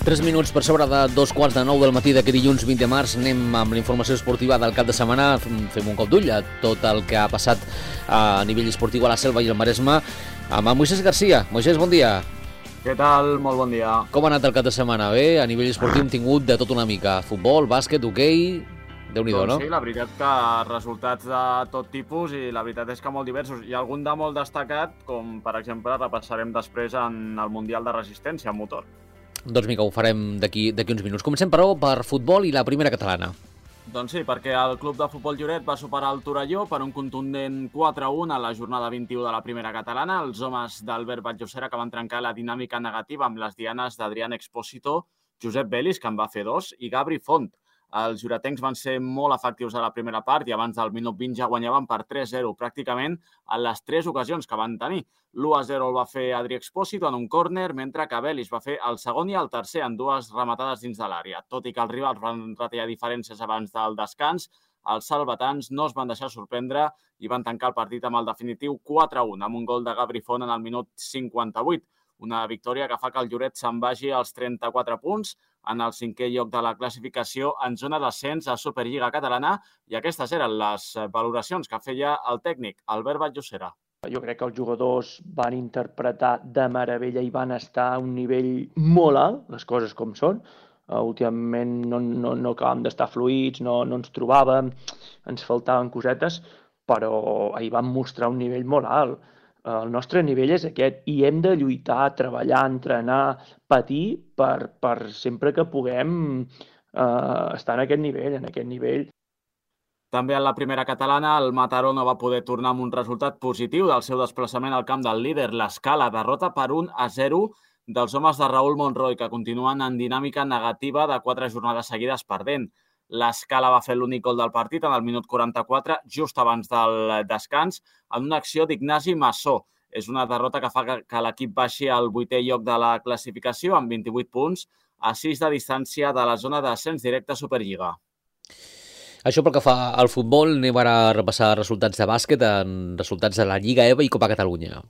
3 minuts per sobre de 2:15 del matí d'aquest dilluns 20 de març. Anem amb la informació esportiva del cap de setmana. Fem un cop d'ull a tot el que ha passat a nivell esportiu a la Selva i al Maresme amb en Moisés Garcia. Moisés, bon dia. Què tal? Molt bon dia. Com ha anat el cap de setmana? Bé? A nivell esportiu hem tingut de tot una mica. Futbol, bàsquet, hoquei... Déu-n'hi-do, no? Sí, la veritat que resultats de tot tipus i la veritat és que molt diversos. Hi ha algun de molt destacat, com per exemple repassarem després en el Mundial de Resistència en motor. Doncs vinga, ho farem d'aquí uns minuts. Comencem, però, per futbol i la primera catalana. Doncs sí, perquè el Club de Futbol Lloret va superar el Torelló per un contundent 4-1 a la jornada 21 de la primera catalana. Els homes d'Albert Vallosera que van trencar la dinàmica negativa amb les dianes d'Adrián Expósito, Josep Belis, que en va fer 2, i Gabri Font. Els lloretencs van ser molt efectius a la primera part i abans del minut 20 ja guanyaven per 3-0, pràcticament en les 3 ocasions que van tenir. L'1-0 el va fer Adri Expósito en un córner, mentre que Belis va fer el segon i el tercer en 2 rematades dins de l'àrea. Tot i que els rivals van retallar diferències abans del descans, els salvatans no es van deixar sorprendre i van tancar el partit amb el definitiu 4-1, amb un gol de Gabri Font en el minut 58. Una victòria que fa que el Lloret se'n vagi als 34 punts en el 5è lloc de la classificació en zona d'ascens a Superliga Catalana, i aquestes eren les valoracions que feia el tècnic Albert Vallosera. Jo crec que els jugadors van interpretar de meravella i van estar a un nivell molt alt, les coses com són. Últimament no acabàvem d'estar fluïts, no ens trobàvem, ens faltaven cosetes, però ahir vam mostrar un nivell molt alt. El nostre nivell és aquest i hem de lluitar, treballar, entrenar, patir per sempre que puguem estar en aquest nivell. També en la primera catalana, el Mataró no va poder tornar amb un resultat positiu del seu desplaçament al camp del líder, l'Escala, derrota per 1-0 dels homes de Raúl Monroy, que continuen en dinàmica negativa de 4 jornades seguides perdent. L'Escala va fer l'únic gol del partit en el minut 44, just abans del descans, en una acció d'Ignasi Massó. És una derrota que fa que l'equip baixi al 8è lloc de la classificació amb 28 punts, a 6 de distància de la zona d'ascens directe a Superliga. Això pel que fa al futbol, anem ara a repassar resultats de bàsquet, resultats de la Lliga EVA i Copa Catalunya.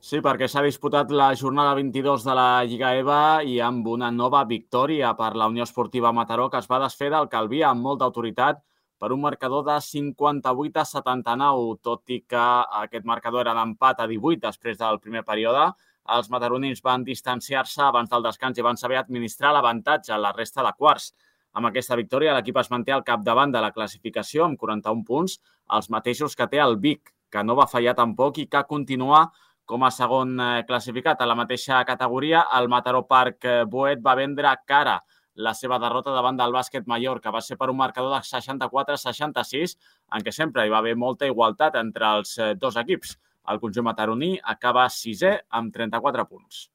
Sí, perquè s'ha disputat la jornada 22 de la Lliga EVA i amb una nova victòria per la Unió Esportiva Mataró, que es va desfer del Calví amb molta autoritat per un marcador de 58-79, tot i que aquest marcador era d'empat a 18 després del primer període. Els mataronins van distanciar-se abans del descans i van saber administrar l'avantatge a la resta de quarts. Amb aquesta victòria, l'equip es manté al capdavant de la classificació amb 41 punts, els mateixos que té el Vic, que no va fallar tampoc i que continua com a segon classificat. A la mateixa categoria, el Mataró Parc Boet va vendre cara la seva derrota davant del Bàsquet Mallorca. Va ser per un marcador de 64-66, en què sempre hi va haver molta igualtat entre els dos equips. El conjunt mataroní acaba 6è amb 34 punts.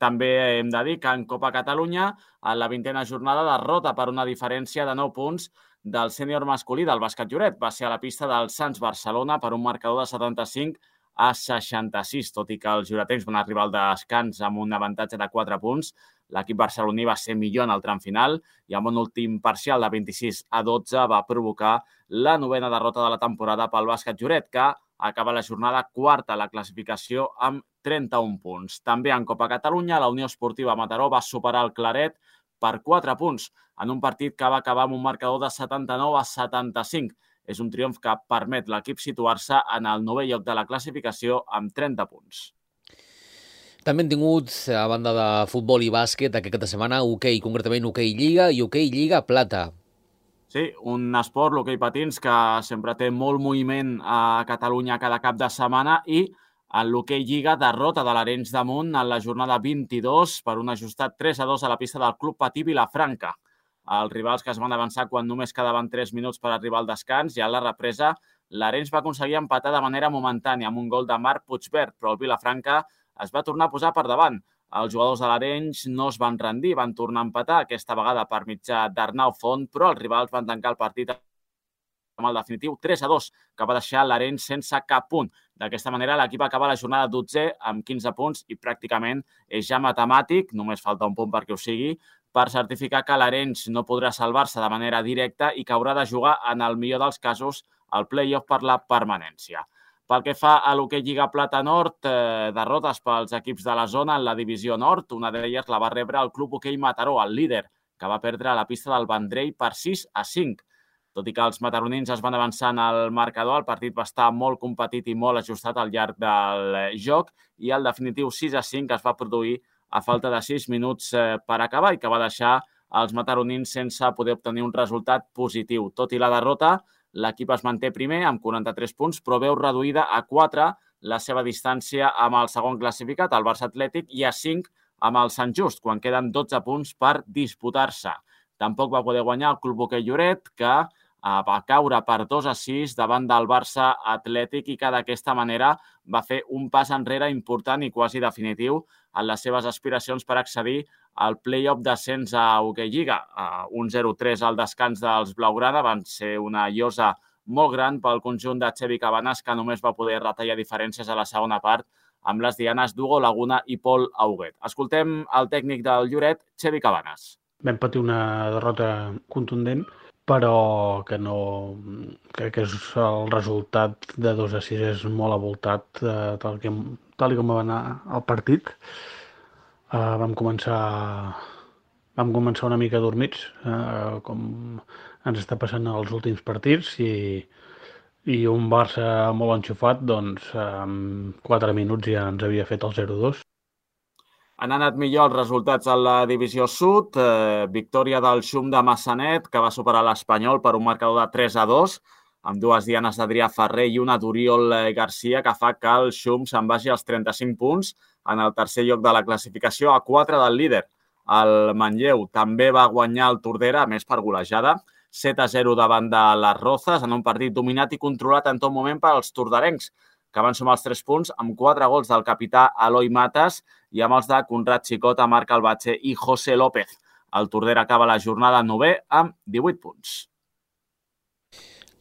També hem de dir que en Copa Catalunya, a la 20a jornada, derrota per una diferència de 9 punts del sènior masculí del Bàsquet Lloret. Va ser a la pista del Sants Barcelona per un marcador de 75-66, tot i que els lloretencs van arribar al descans amb un avantatge de 4 punts. L'equip barceloní va ser millor en el tram final i amb un últim parcial de 26-12 va provocar la 9a derrota de la temporada pel Bàsquet Lloret, que acaba la jornada quarta a la classificació amb 31 punts. També en Copa Catalunya, la Unió Esportiva Mataró va superar el Claret per 4 punts en un partit que va acabar amb un marcador de 79-75. És un triomf que permet l'equip situar-se en el 9è lloc de la classificació amb 30 punts. També hem tingut, a banda de futbol i bàsquet, aquesta setmana, hoquei, concretament hoquei Lliga i hoquei Lliga Plata. Sí, un esport, l'hoquei patins, que sempre té molt moviment a Catalunya cada cap de setmana, i en l'hoquei Lliga, derrota de l'Arenys de Munt en la jornada 22 per un ajustat 3-2 a la pista del Club Patí Vilafranca. Els rivals que es van avançar quan només quedaven 3 minuts per arribar al descans, i a la represa l'Arenys va aconseguir empatar de manera momentània amb un gol de Marc Puigverd, però el Vilafranca es va tornar a posar per davant. Els jugadors de l'Arenys no es van rendir, van tornar a empatar, aquesta vegada per mitjà d'Arnau Font, però els rivals van tancar el partit amb el definitiu 3-2, que va deixar l'Arenys sense cap punt. D'aquesta manera, l'equip acaba la jornada 12è amb 15 punts i pràcticament és ja matemàtic, només falta un punt perquè ho sigui, per certificar que l'Arenys no podrà salvar-se de manera directa i que haurà de jugar, en el millor dels casos, el play-off per la permanència. Pel que fa a l'hoquei Lliga Plata Nord, derrotes pels equips de la zona en la divisió nord. Una d'elles la va rebre el Club Hoquei Mataró, el líder, que va perdre a la pista del Vendrell per 6-5. Tot i que els mataronins es van avançar en el marcador, el partit va estar molt competit i molt ajustat al llarg del joc i el definitiu 6-5 es va produir a falta de 6 minuts per acabar i que va deixar els mataronins sense poder obtenir un resultat positiu. Tot i la derrota, l'equip es manté primer amb 43 punts, però veu reduïda a 4 la seva distància amb el segon classificat, el Barça Atlètic, i a 5 amb el Sant Just, quan queden 12 punts per disputar-se. Tampoc va poder guanyar el Club Hoquei Lloret, que va caure per 2-6 davant del Barça Atlètic i que d'aquesta manera va fer un pas enrere important i quasi definitiu en les seves aspiracions per accedir al play-off d'ascens a Hoquei Lliga. Un 0-3 al descans dels blaugrana van ser una llosa molt gran pel conjunt de Xevi Cabanes, que només va poder retallar diferències a la segona part amb les dianes d'Hugo Laguna i Pol Auguet. Escoltem el tècnic del Lloret, Xevi Cabanes. Vam patir una derrota contundent, però que no... Crec que el resultat de 2-6 és molt avoltat tal com va anar el partit. Vam començar una mica dormits, com ens està passant als últims partits, i un Barça molt enxufat, doncs en 4 minuts ja ens havia fet el 0-2. Han anat millor els resultats a la divisió sud. Victòria del Xum de Massanet, que va superar l'Espanyol per un marcador de 3-2, amb 2 dianes d'Adrià Ferrer i una d'Oriol Garcia, que fa que el Xum se'n vagi als 35 punts en el tercer lloc de la classificació, a 4 del líder. El Manlleu també va guanyar el Tordera, a més per golejada, 7-0 davant de les Rozas, en un partit dominat i controlat en tot moment pels torderencs, que van sumar els 3 punts amb 4 gols del capità Eloi Matas i amb els de Conrad Xicota, Marc Albatxe i José López. El Tordera acaba la jornada 9è amb 18 punts.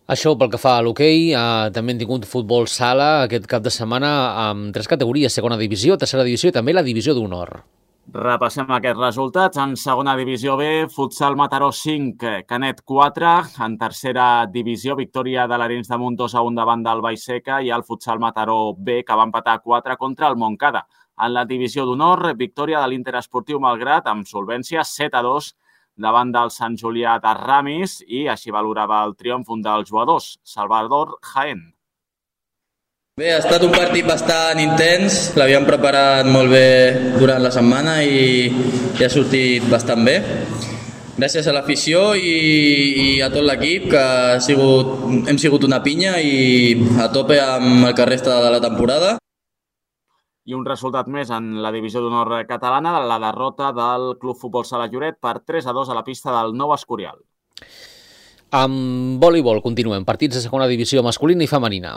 Això pel que fa a l'hoquei, també hem tingut futbol sala aquest cap de setmana amb 3 categories, segona divisió, tercera divisió i també la divisió d'honor. Repassem aquests resultats. En segona divisió B, Futsal Mataró 5, Canet 4. En tercera divisió, victòria de l'Arenys de Munt 2-1 davant del Vallseca i el Futsal Mataró B, que va empatar 4 contra el Montcada. En la divisió d'honor, victòria de l'Interesportiu Malgrat amb solvència 7-2 davant del Sant Julià de Ramis i així valorava el triomf un dels jugadors, Salvador Jaén. Bé, ha estat un partit bastant intens, l'havíem preparat molt bé durant la setmana i ha sortit bastant bé. Gràcies a l'afició i a tot l'equip, que hem sigut una pinya i a tope amb el que resta de la temporada. I un resultat més en la divisió d'honor catalana, la derrota del Club Futbol Sala Lloret per 3-2 a la pista del Nou Escorial. Amb voleibol continuem, partits de segona divisió masculina i femenina.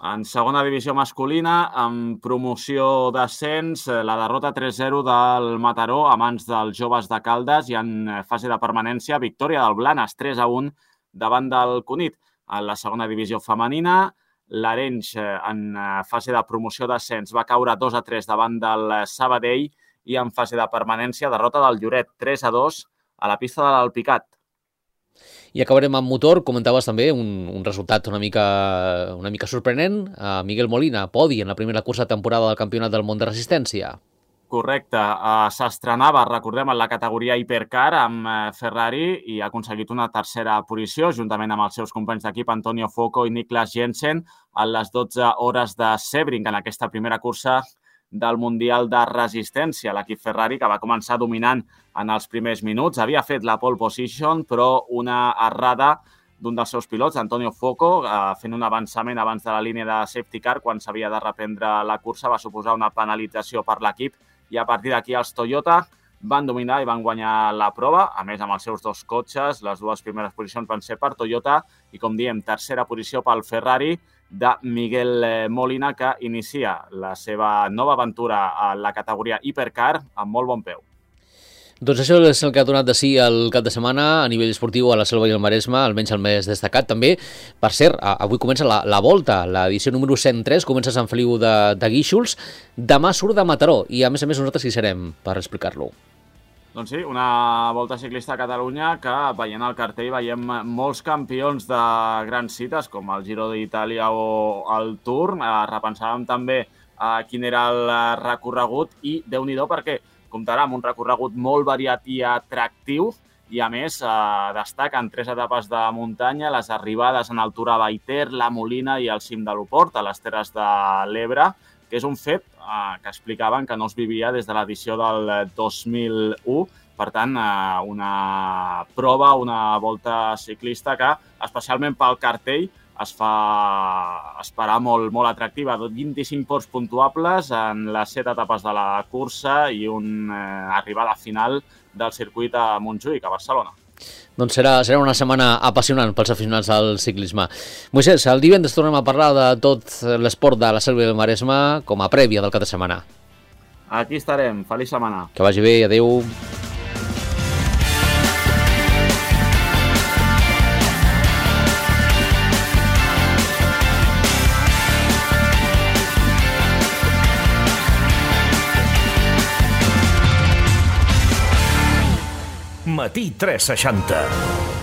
En segona divisió masculina, amb promoció d'ascens, la derrota 3-0 del Mataró a mans dels joves de Caldes i en fase de permanència, victòria del Blanes 3-1 davant del Cunit. En la segona divisió femenina, l'Arenys en fase de promoció d'ascens va caure 2-3 davant del Sabadell i en fase de permanència, derrota del Lloret 3-2 a la pista de l'Alpicat. I acabarem amb motor. Comentaves també un resultat una mica sorprenent. Miguel Molina, podi en la primera cursa de temporada del Campionat del Món de Resistència. Correcte. S'estrenava, recordem, en la categoria Hipercar amb Ferrari i ha aconseguit una tercera posició, juntament amb els seus companys d'equip Antonio Foco i Niklas Jensen, a les 12 hores de Sebring, en aquesta primera cursa del Mundial de Resistència. L'equip Ferrari, que va començar dominant en els primers minuts, havia fet la pole position, però una errada d'un dels seus pilots, Antonio Foco, fent un avançament abans de la línia de safety car quan s'havia de reprendre la cursa, va suposar una penalització per l'equip i a partir d'aquí els Toyota van dominar i van guanyar la prova. A més, amb els seus 2 cotxes, les 2 primeres posicions van ser per Toyota i, com diem, tercera posició pel Ferrari de Miguel Molina, que inicia la seva nova aventura a la categoria Hipercar amb molt bon peu. Doncs això és el que ha donat de si el cap de setmana a nivell esportiu a la Selva i el Maresme, almenys el més destacat també. Per cert, avui comença la Volta, l'edició número 103, comença a Sant Feliu de Guíxols. Demà surt de Mataró i a més nosaltres hi serem per explicar-lo. Doncs sí, una Volta Ciclista a Catalunya que, veient el cartell, veiem molts campions de grans cites, com el Giro d'Itàlia o el Tour. Repensàvem també quin era el recorregut i Déu-n'hi-do perquè comptarà amb un recorregut molt variat i atractiu i, a més, destaquen 3 etapes de muntanya, les arribades en altura a Baiter, la Molina i el cim de l'Oport, a les Terres de l'Ebre, que és un fet que explicaven que no es vivia des de l'edició del 2001. Per tant, una prova, una volta ciclista que, especialment pel cartell, es fa esperar molt, molt atractiva. 25 ports puntuables en les 7 etapes de la cursa i una arribada final del circuit a Montjuïc, a Barcelona. Doncs serà una setmana apassionant pels aficionats al ciclisme. Moisés, el divendres tornem a parlar de tot l'esport de la Selva i el Maresme com a prèvia del cap de setmana. Aquí estarem. Feliç setmana. Que vagi bé. Adéu. Matí 360.